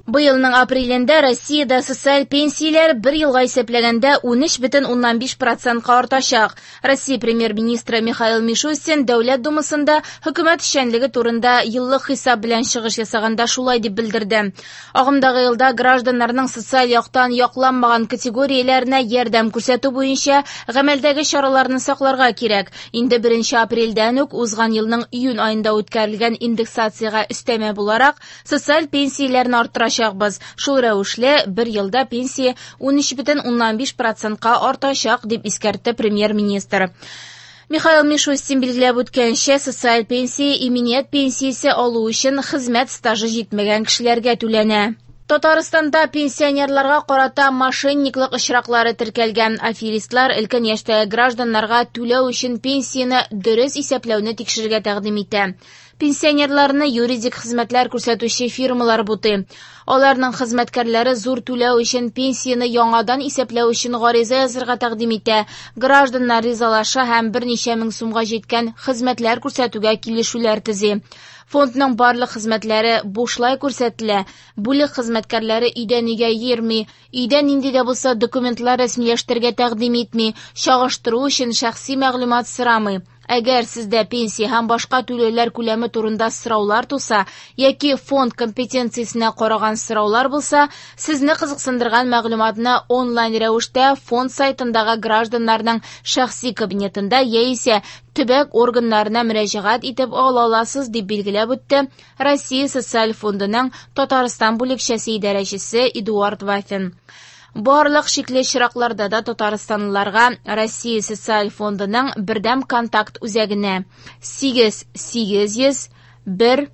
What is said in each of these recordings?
Быелның апрелендә Россиядә социаль пенсияләр бер елга исәпләгәндә 13,5 процентка артачак. Россия премьер-министры Михаил Мишустин Дәүләт Думасында хөкүмәт эшчәнлеге турында еллык хисап белән чыгыш ясаганда шулай дип белдерде. Агымдагы елда гражданнарның социаль яктан якланмаган категорияләренә ярдәм күрсәтү буенча гамәлдәге чараларны сакларга кирәк. Инде 1 апрельдән үк узган елның июнь аенда үткәрелгән индексациягә өстәмә буларак социаль пенсияләрне арттырачакбыз. Шул рәвешле бер елда пенсия 13,5 процентка артачак, дип искәртте премьер-министр. Михаил Мишустин билгеләп үткәнчә, социаль пенсия иминият пенсиясе алу өчен хезмәт стажы җитмәгән кешеләргә түләнә. Татарстанда пенсионерларга карата мошенниклык очраклары теркәлгән. Аферистлар өлкән яшьтәге гражданнарга түләү өчен пенсияне дөрес исәпләүне тикшерергә тәкъдим итә. Пенсионерларны юридик хезмәтләр күрсәтүче фирмалар бутый. Аларның хезмәткәрләре зур түләү өчен пенсияне яңадан исәпләү өчен гариза язырга тәкъдим итә. Гражданнар ризалаша һәм берничә мең сумга җиткән хезмәтләр күрсәтүгә килешүләр төзи. Фондның барлык хезмәтләре бушлай күрсәтелә. Бүлек хезмәткәрләре өйдән өйгә йөрми, өйдә нинди дә булса документлар рәсмиләштерергә тәкъдим итми, чагыштыру өчен шәхси мәгълүмат сорамый. Әгәр сездә пенсия һәм башка түләүләр күләме турында сораулар туса яки фонд компетенциясенә караган сораулар булса, сезне кызыксындырган мәгълүматны онлайн рәвештә фонд сайтындагы гражданнарның шәхси кабинетында яисә төбәк органнарына мөрәҗәгать итеп ала аласыз, дип билгеләп үтте Россия Социаль фондының Татарстан бүлекчәсе идарәчесе Эдуард Вафин. Барлык шикле очракларда да татарстанлыларга Россия Социаль фондының бердәм контакт үзәгенә 8 800 1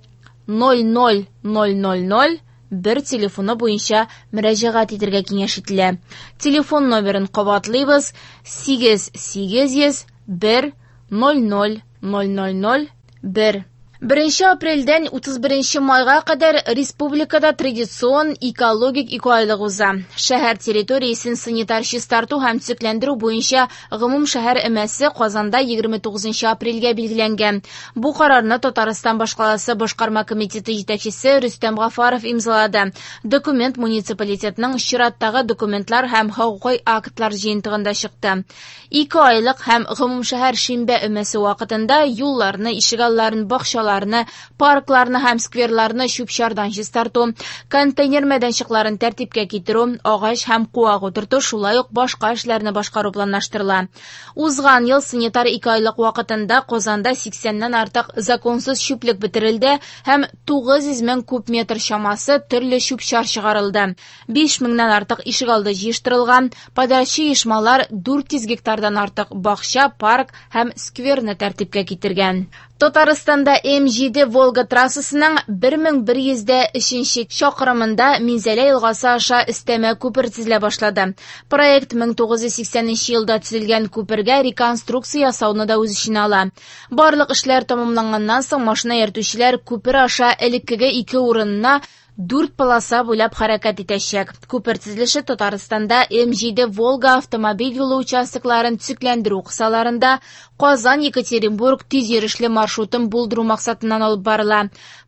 00 000 1 телефоны буенча мөрәҗәгать итәргә киңәш ителә. Телефон номерын кабатлыйбыз: 8 800 1 00 000 1. 1 апрельдән 31 майга кадәр республикада традицион экологик икеайлык уза. Шәһәр территориясен санитар чистарту һәм төзекләндерү буенча гомум шәһәр өмәсе Казанда 29 апрельгә билгеләнгән. Бу карарны Татарстан башкаласы башкарма комитеты җитәкчесе Рөстәм Гафаров имзалады. Документ муниципалитетның чираттагы документлар һәм хокукый актлар җыентыгында чыкты. Икеайлык һәм гомумшәһәр шимбә өмәсе вакытында юлларны, ишегалларын, бакчаларны, паркларны һәм скверларны чүп-чардан чистарту, контейнер мәйданчыкларын тәртипкә китерү, агач һәм куак утырту, шулай ук башка эшләрне башкару планлаштырыла. Узган ел санитар икеайлык вакытында Казанда 80-нән артык законсыз чүплек бетерелде һәм 900 мең куб метр чамасы төрле чүп-чар чыгарылды. 5 меңнән артык ишегалды җыештырылган, подрядчы оешмалар 400 гектардан артык бакча, парк һәм скверны тәртипкә китергән. Татарстанда М7 Волга трассасының 1103 чакрымында Минзәлә елгасы аша өстәмә күпер төзелә башлады. Проект 1980 елда төзелгән күпергә реконструкция ясауны да үз эченә ала. Барлык эшләр тәмамланганнан соң машина йөртүчеләр күпер аша элеккеге ике урынына 4 полоса буйлап хәрәкәт итәчәк. Күпер төзелеше Татарстанда М7 Волга автомобиль юлы участокларын төзекләндерү кысаларында Казан-Екатеринбург тиз йөрешле маршрутын булдыру максатыннан алып барыла.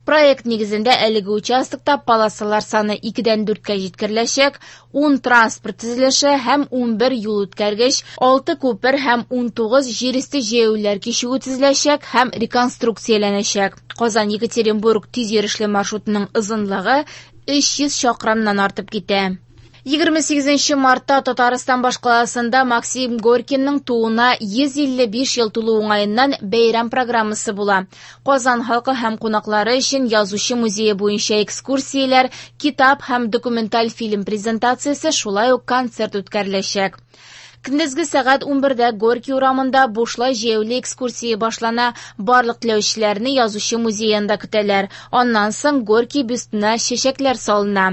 Проект нигезендә әлеге участокта полосалар саны 2-дән 4-кә җиткереләчәк, 10 транспорт төзелеше һәм 11 юл үткәргеч, 6 күпер һәм 19 җир өсте җәяүлеләр кичүе төзеләчәк һәм реконструкцияләнәчәк. Казан-Екатеринбург тиз йөрешле маршрутының озынлыгы 300 чакрымнан артып китә. 28 мартта Татарстан башкаласында Максим Горькийның тууына 155 ел тулу уңаеннан бәйрәм программасы була. Казан халкы һәм кунаклары өчен язучы музее буенча экскурсияләр, китап һәм документаль фильм презентациясе, шулай ук концерт үткәреләчәк. Көндезге сәгать 11-дә Горький урамында бушлай җәяүле экскурсия башлана. Барлык теләүчеләрне язучы музеенда көтәләр. Аннан соң Горький бюстына чәчәкләр салына.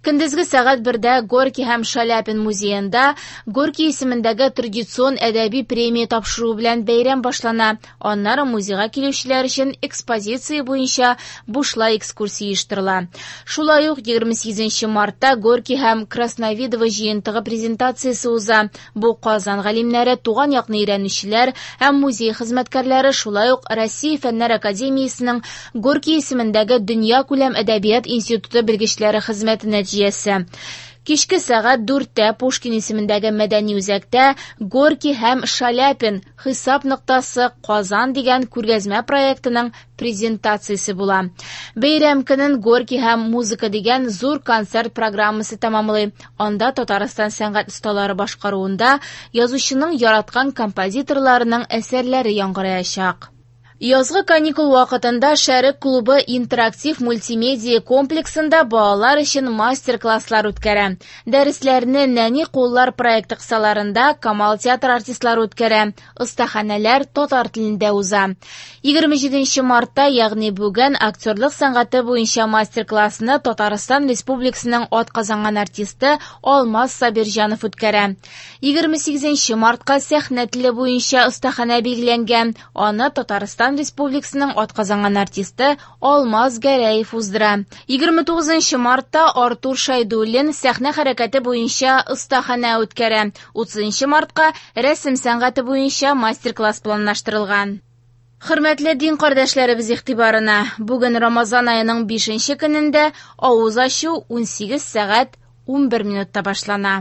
Көндезге сәгать 1-дә Горький һәм Шаляпин музеенда Горький исемендәге традицион әдәби премия тапшыру белән бәйрәм башлана. Аннары музейга килүчеләр өчен экспозиция буенча бушлай экскурсия оештырыла. Шулай ук 28 мартта Горький һәм Красновидово җыентыгы презентациясе уза. Бу Казан галимнәре, туган якны өйрәнүчеләр һәм музей хезмәткәрләре, шулай ук Россия Фәннәр академиясенең Горький исемендәге Дөньякүләм әдәбият институты белгечләре хезмәте нәтиҗәсе. Кичке сәгать 4-тә Пушкин исемендәге мәдәни үзәктә Горький һәм Шаляпин хисап ноктасы Казан дигән күргәзмә проектының презентациясе була. Бәйрәм көнен Горький һәм музыка дигән зур концерт программасы тәмамлый. Анда Татарстан сәнгать осталары башкаруында язучының яраткан композиторларының әсәрләре яңгыраячак. Язгы каникул вакытында Шәрык клубы интерактив мультимедиа комплексында балалар өчен мастер-класслар үткәрә. Дәресләрне Нәни куллар проекты кысаларында Камал театр артистлары үткәрә. Остаханәләр татар телендә уза. 27 мартта, ягъни бүген, актерлык сәнгате буенча мастер-классны Татарстан Республикасының атказанган артисты Алмаз Сабирҗанов үткәрә. 28 мартка сәхнә теле буенча остаханә билгеләнгән. Аны Татарстан Республикасының атказанган артисты Алмаз Гәрәев уздыра. 29 мартта Артур Шайдуллин сәхнә хәрәкәте буенча остаханә үткәрә. 30 мартка рәсем сәнгате буенча мастер-класс планлаштырылган. Хөрмәтле дин кардәшләребез игътибарына, бүген Рамазан аеның 5 көнендә авыз ачу 18 сәгать 11 минутта башлана.